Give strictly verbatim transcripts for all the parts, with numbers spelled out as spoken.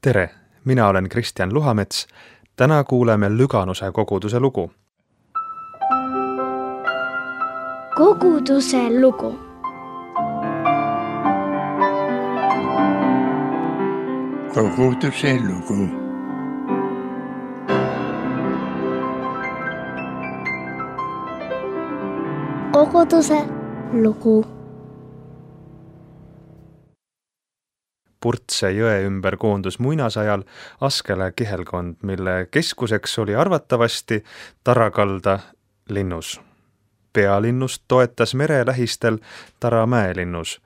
Tere, mina olen Kristjan Luhamets. Täna kuuleme Lüganuse koguduse lugu. Koguduse lugu. Koguduse lugu. Koguduse lugu. Purtse jõe ümber koondus muinasajal Askele kihelkond, mille keskuseks oli arvatavasti Tarakalda linnus. Pealinnust toetas mere lähistel Tara mäelinnus.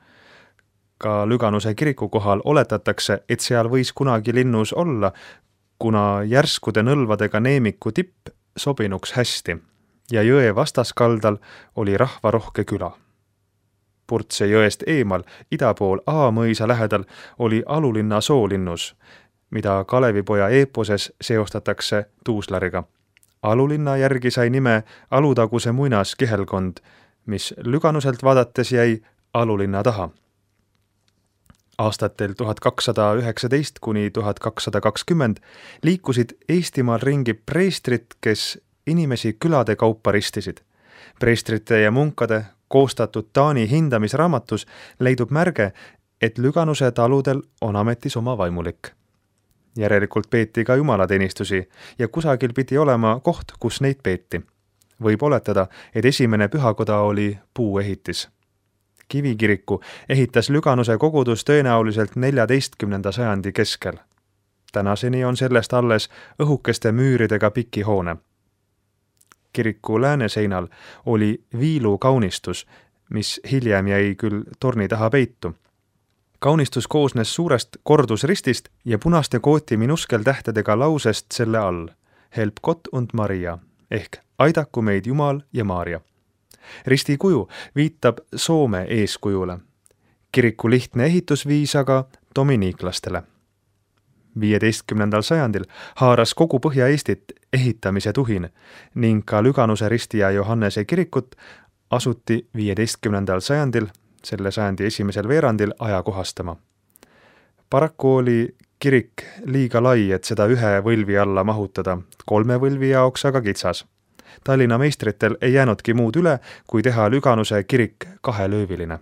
Ka Lüganuse kiriku kohal oletatakse, et seal võis kunagi linnus olla, kuna järskude nõlvadega neemiku tipp sobinuks hästi ja jõe vastaskaldal oli rahvarohke küla. Purtse jõest eemal, ida pool Aamõisa lähedal, oli Alulinna soolinnus, mida Kalevipoja eeposes seostatakse tuuslariga. Alulinna järgi sai nime Alutaguse muinas kihelkond, mis Lüganuselt vaadates jäi Alulinna taha. Aastatel tuhat kakssada üheksateist kuni tuhat kakssada kakskümmend liikusid Eestimaal ringi preestrid, kes inimesi külade kaupa ristisid. Preestrite ja munkade koostatud Taani hindamisraamatus leidub märge, et Lüganuse taludel on ametis oma vaimulik. Järelikult peeti ka jumalateenistusi ja kusagil pidi olema koht, kus neid peeti. Võib oletada, et esimene pühakoda oli puuehitis. Kivikiriku ehitas Lüganuse kogudus tõenäoliselt neljateistkümnenda sajandi keskel. Tänaseni on sellest alles õhukeste müüridega piki hoone. Kiriku lääneseinal oli viilu kaunistus, mis hiljem jäi küll torni taha peitu. Kaunistus koosnes suurest kordusristist ja punaste kooti minuskeltähtedega lausest selle all Help Gott und Maria ehk aidaku meid Jumal ja Maarja. Risti kuju viitab Soome eeskujule. Kiriku lihtne ehitusviis aga dominiiklastele. viieteistkümnendal sajandil haaras kogu Põhja-Eestit ehitamise tuhin ning ka Lüganuse Risti ja Johannese kirikut asuti viieteistkümnendal sajandil, selle sajandi esimesel veerandil ajakohastama. Paraku oli kirik liiga lai, et seda ühe võlvi alla mahutada, kolme võlvi jaoks aga kitsas. Tallinna meistritel ei jäänudki muud üle, kui teha Lüganuse kirik kahelööviline.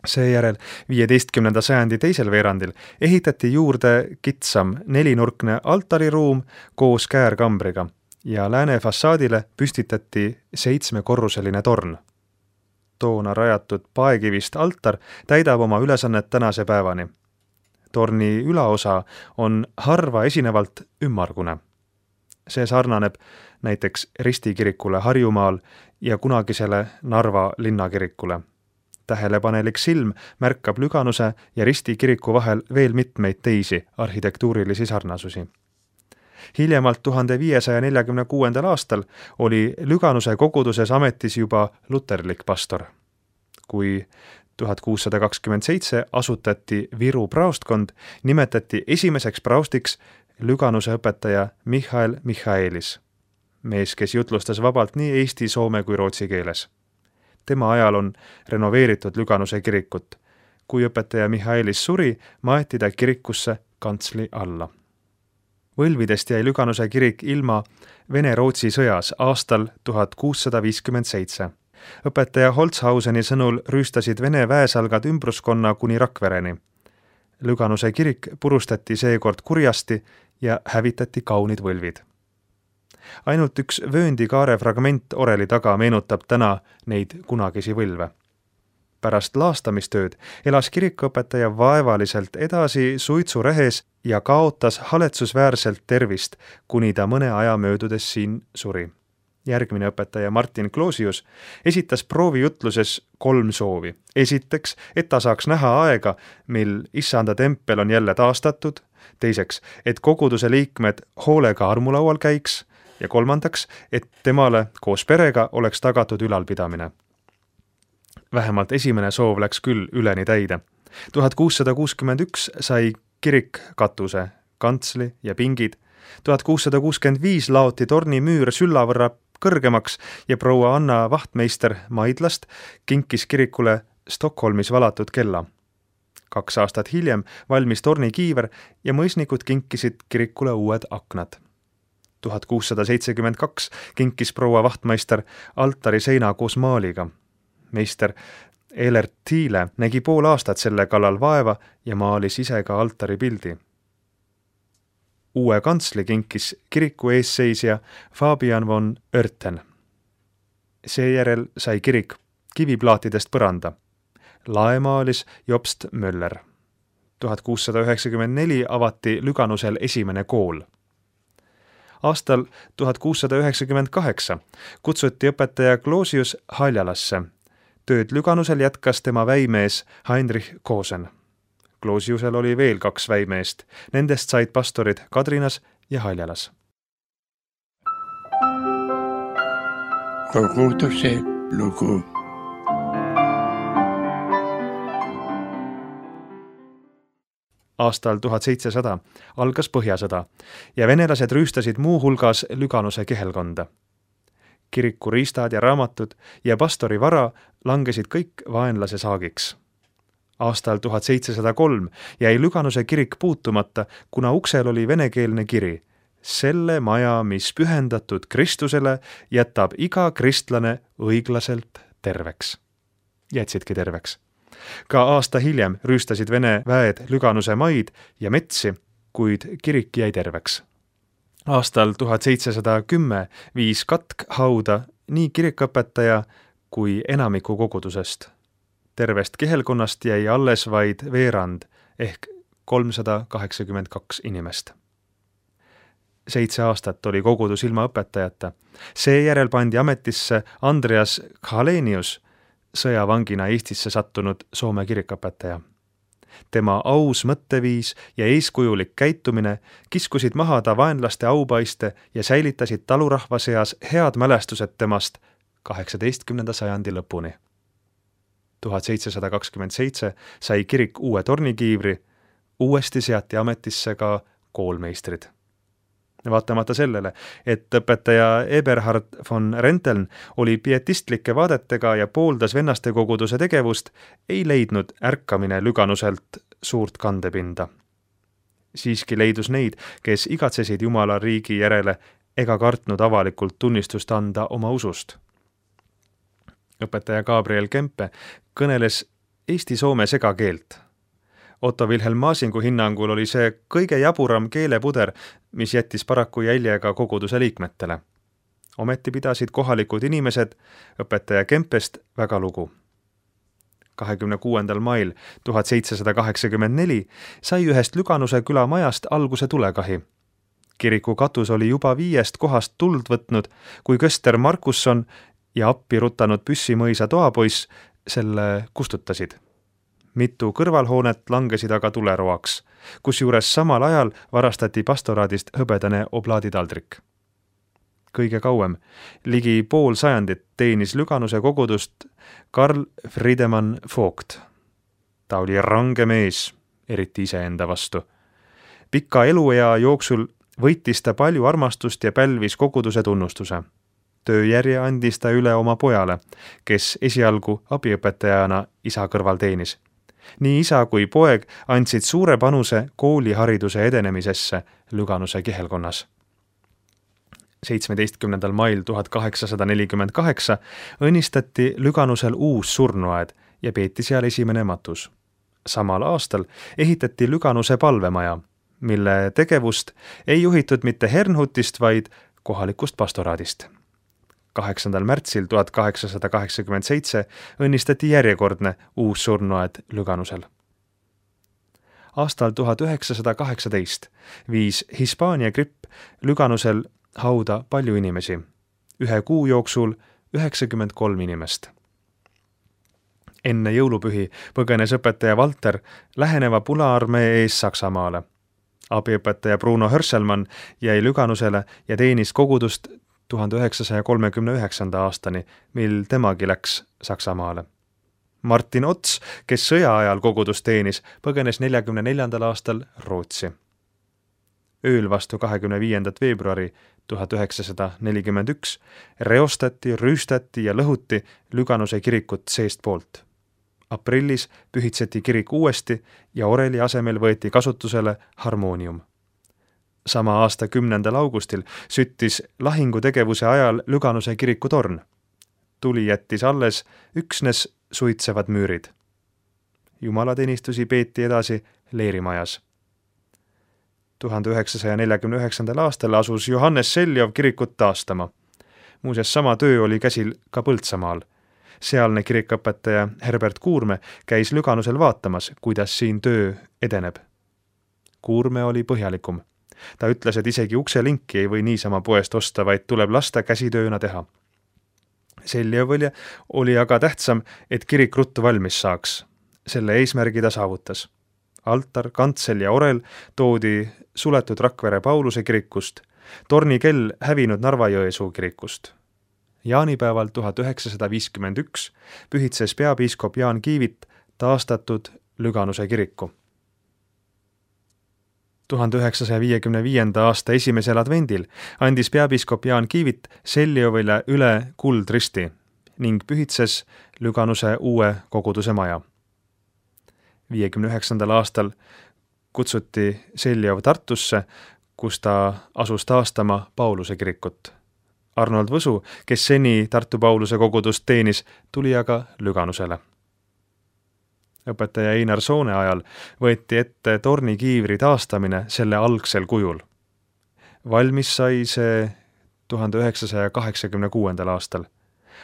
Seejärel viieteistkümnenda sajandi teisel veerandil ehitati juurde kitsam nelinurkne altariruum koos käärkambriga ja lääne fassaadile püstitati seitsmekorruseline torn. Toona rajatud paekivist altar täidab oma ülesannet tänase päevani. Torni ülaosa on harva esinevalt ümmargune. See sarnaneb näiteks Risti kirikule Harjumaal ja kunagisele Narva linnakirikule. Tähelepanelik silm märkab Lüganuse ja Risti kiriku vahel veel mitmeid teisi arhitektuurilisi sarnasusi. Hiljemalt tuhande viiesaja neljakümne kuuendal aastal oli Lüganuse koguduses ametis juba luterlik pastor. Kui tuhat kuussada kakskümmend seitse asutati Viru praostkond, nimetati esimeseks praostiks Lüganuse õpetaja Michael Michaelis, mees, kes jutlustas vabalt nii eesti, soome kui rootsi keeles. Tema ajal on renoveeritud Lüganuse kirikut. Kui õpetaja Michaelis suri, maeti ta kirikusse kantsli alla. Võlvidest jäi Lüganuse kirik ilma Vene-Rootsi sõjas aastal tuhat kuussada viiskümmend seitse. Õpetaja Holzhauseni sõnul rüüstasid Vene väesalgad ümbruskonna kuni Rakvereni. Lüganuse kirik purustati seekord kurjasti ja hävitati kaunid võlvid. Ainult üks vööndikaare fragment oreli taga meenutab täna neid kunagisi võlve. Pärast laastamistööd elas kirikuõpetaja vaevaliselt edasi suitsurehes ja kaotas haletsusväärselt tervist, kuni ta mõne aja möödudes siin suri. Järgmine õpetaja Martin Kloosius esitas proovijutluses kolm soovi. Esiteks, et ta saaks näha aega, mil issanda tempel on jälle taastatud. Teiseks, et koguduse liikmed hoolega armulaual käiks. Ja kolmandaks, et temale koos perega oleks tagatud ülalpidamine. Vähemalt esimene soov läks küll üleni täide. tuhat kuussada kuuskümmend üks sai kirik katuse, kantsli ja pingid. tuhat kuussada kuuskümmend viis laoti torni müür sülla võrra kõrgemaks ja proua Anna Vahtmeister Maidlast kinkis kirikule Stockholmis valatud kella. kaks aastat hiljem valmis tornikiiver ja mõisnikud kinkisid kirikule uued aknad. tuhat kuussada seitsekümmend kaks kinkis proua vahtmeister altari seina koos maaliga. Meister Elert Thiele nägi pool aastat selle kallal vaeva ja maalis ise ka altari pildi. Uue kantsli kinkis kiriku eesseisja Fabian von Oerten. Seejärel sai kirik kiviplaatidest põranda. Lae maalis Jobst Möller. tuhat kuussada üheksakümmend neli avati Lüganusel esimene kool. Aastal tuhat kuussada üheksakümmend kaheksa kutsuti õpetaja Closius Haljalasse. Tööd Lüganusel jätkas tema väimees Heinrich Kosen. Closiusel oli veel kaks väimeest. Nendest said pastorid Kadrinas ja Haljalas. Koguduse lugu. Aastal tuhat seitsesada algas Põhjasõda ja venelased rüüstasid muu hulgas Lüganuse kihelkonda. Kiriku riistad ja raamatud ja pastori vara langesid kõik vaenlase saagiks. Aastal tuhat seitsesada kolm jäi Lüganuse kirik puutumata, kuna uksel oli venekeelne kiri. Selle maja, mis pühendatud Kristusele, jätab iga kristlane õiglaselt terveks. Jätsidki terveks. Ka aasta hiljem rüüstasid Vene väed Lüganuse maid ja metsi, kuid kirik jäi terveks. Aastal tuhat seitsesada kümme viis katk hauda nii kirikõpetaja kui enamiku kogudusest. Tervest kihelkonnast jäi alles vaid veerand ehk kolmsada kaheksakümmend kaks inimest. Seitse aastat oli kogudus ilma õpetajata. Seejärel pandi ametisse Andreas Khalenius, sõjavangina Eestisse sattunud Soome kirikõpetaja. Tema aus mõtteviis ja eeskujulik käitumine kiskusid maha ta vaenlaste aupaiste ja säilitasid talurahva seas head mälestused temast kaheksateistkümnenda sajandi lõpuni. tuhat seitsesada kakskümmend seitse sai kirik uue tornikiivri, uuesti seati ametisse ka koolmeistrid. Vaatamata sellele, et õpetaja Eberhard von Renteln oli pietistlike vaadetega ja pooldas vennaste koguduse tegevust, ei leidnud ärkamine Lüganuselt suurt kandepinda. Siiski leidus neid, kes igatsesid Jumala riigi järele ega kartnud avalikult tunnistust anda oma usust. Õpetaja Gabriel Kempe kõneles eesti-soome segakeelt. Otto Wilhelm Maasingu hinnangul oli see kõige jaburam keelepuder, mis jättis paraku jälje ka koguduse liikmetele. Ometi pidasid kohalikud inimesed õpetaja Kempest väga lugu. kahekümne kuuendal mail tuhat seitsesada kaheksakümmend neli sai ühest Lüganuse küla majast alguse tulekahi. Kiriku katus oli juba viiest kohast tuld võtnud, kui köster Markusson ja appi rutanud Püssimõisa toapoiss selle kustutasid. Mitu kõrvalhoonet langesid aga tuleroaks, kusjuures samal ajal varastati pastoraadist hõbedane oblaaditaldrik. Kõige kauem, ligi pool sajandit teenis Lüganuse kogudust Karl Friedemann Vogt. Ta oli range mees, eriti iseenda vastu. Pika eluea jooksul võitis ta palju armastust ja pälvis koguduse tunnustuse. Tööjärje andis ta üle oma pojale, kes esialgu abiõpetajana isa kõrval teenis. Nii isa kui poeg andsid suure panuse koolihariduse edenemisesse Lüganuse kihelkonnas. seitsmeteistkümnendal mail tuhat kaheksasada nelikümmend kaheksa õnnistati Lüganusel uus surnuaed ja peeti seal esimene matus. Samal aastal ehitati Lüganuse palvemaja, mille tegevust ei juhitud mitte Hernhutist, vaid kohalikust pastoraadist. kaheksandal märtsil tuhat kaheksasada kaheksakümmend seitse õnnistati järjekordne uus surnuaed Lüganusel. Aastal tuhat üheksasada kaheksateist viis Hispaania gripp Lüganusel hauda palju inimesi. Ühe kuu jooksul üheksakümmend kolm inimest. Enne jõulupühi põgenes õpetaja Valter läheneva Punaarmee ees Saksamaale. Abiõpetaja Bruno Hörselmann jäi Lüganusele ja teenis kogudust tuhande üheksasaja kolmekümne üheksanda aastani, mil temagi läks Saksamaale. Martin Ots, kes sõja ajal kogudust teenis, põgenes neljakümne neljandal aastal Rootsi. Ööl vastu kahekümne viiendat veebruari tuhat üheksasada nelikümmend üks reostati, rüüstati ja lõhuti Lüganuse kirikut seest poolt. aprillis pühitseti kirik uuesti ja oreli asemel võeti kasutusele harmoonium. Sama aasta kümnendal augustil süttis lahingutegevuse ajal Lüganuse kiriku torn. Tuli jättis alles üksnes suitsevad müürid. Jumalateenistusi peeti edasi leerimajas. tuhande üheksasaja neljakümne üheksandal aastal asus Johannes Seljov kirikut taastama. Muuseas, sama töö oli käsil ka Põltsamaal. Sealne kirikõpetaja Herbert Kuurme käis Lüganusel vaatamas, kuidas siin töö edeneb. Kuurme oli põhjalikum. Ta ütles, et isegi ukselinki ei või niisama poest osta, vaid tuleb lasta käsitööna teha. Seljov oli aga tähtsam, et kirik ruttu valmis saaks. Selle eesmärgi ta saavutas. Altar, kantsel ja orel toodi suletud Rakvere Pauluse kirikust, tornikell hävinud Narva-Jõesuu kirikust. Jaanipäeval tuhat üheksasada viiskümmend üks pühitses peapiiskop Jaan Kiivit taastatud Lüganuse kiriku. tuhande üheksasaja viiekümne viienda aasta esimesel advendil andis peapiiskop Jaan Kiivit Seljovile üle kuldristi ning pühitses Lüganuse uue koguduse maja. viiekümne üheksandal aastal kutsuti Seljov Tartusse, kus ta asus taastama Pauluse kirikut. Arnold Võsu, kes seni Tartu Pauluse kogudust teenis, tuli aga Lüganusele. Õpetaja Einar Soone ajal võeti ette tornikiivri taastamine selle algsel kujul. Valmis sai see tuhande üheksasaja kaheksakümne kuuendal aastal.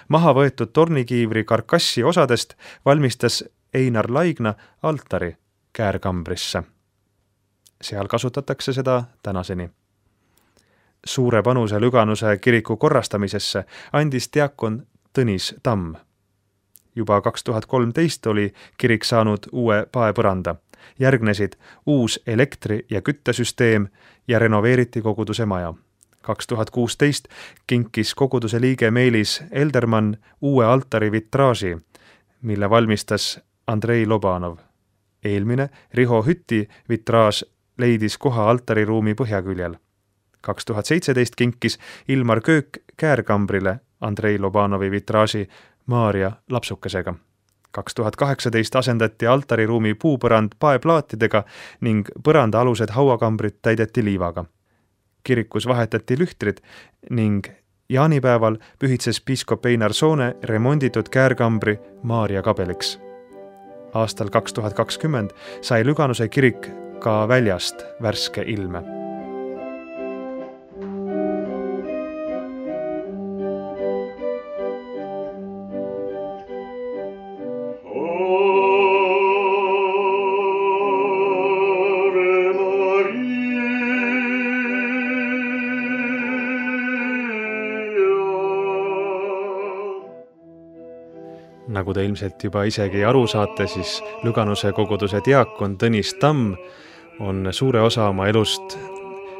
Maha võetud tornikiivri karkassi osadest valmistas Einar Laigna altari käärkambrisse. Seal kasutatakse seda tänaseni. Suure panuse Lüganuse kiriku korrastamisesse andis diakon Tõnis Tamm. Juba kaks tuhat kolmteist oli kirik saanud uue paepõranda. Järgnesid uus elektri- ja küttesüsteem ja renoveeriti koguduse maja. kaks tuhat kuusteist kinkis koguduse liige Meelis Eldermann uue altari vitraaži, mille valmistas Andrei Lobanov. Eelmine Riho Hütti vitraaž leidis koha altariruumi põhjaküljel. kaks tuhat seitseteist kinkis Ilmar Köök käärkambrile Andrei Lobanovi vitraaži Maarja lapsukesega. kaks tuhat kaheksateist asendati altariruumi puupõrand paeplaatidega ning põranda alused hauakambrid täideti liivaga. Kirikus vahetati lühtrid ning jaanipäeval pühitses piiskop Einar Soone remonditud käärkambri Maarja kabeliks. Aastal kaks tuhat kakskümmend sai Lüganuse kirik ka väljast värske ilme. Nagu te ilmselt juba isegi aru saate, siis Lüganuse koguduse diakon Tõnis Tamm on suure osa oma elust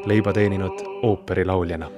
leiba teeninud ooperilauljana.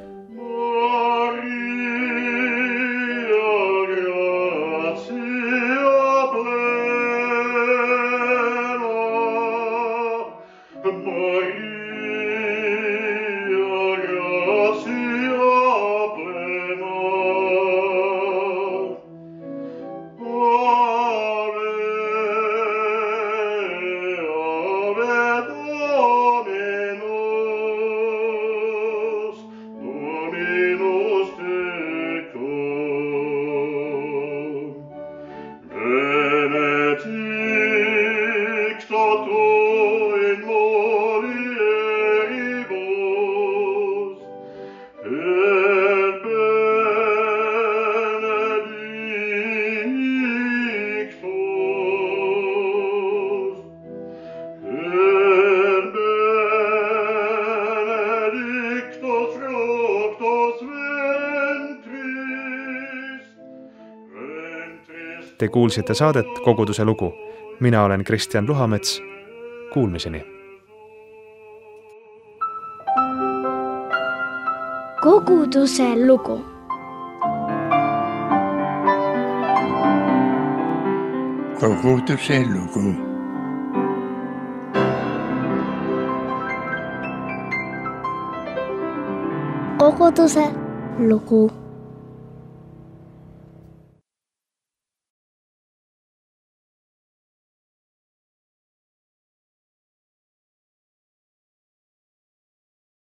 Te kuulsite saadet Koguduse lugu. Mina olen Kristjan Luhamets. Kuulmiseni. Koguduse lugu. Koguduse lugu. Koguduse lugu.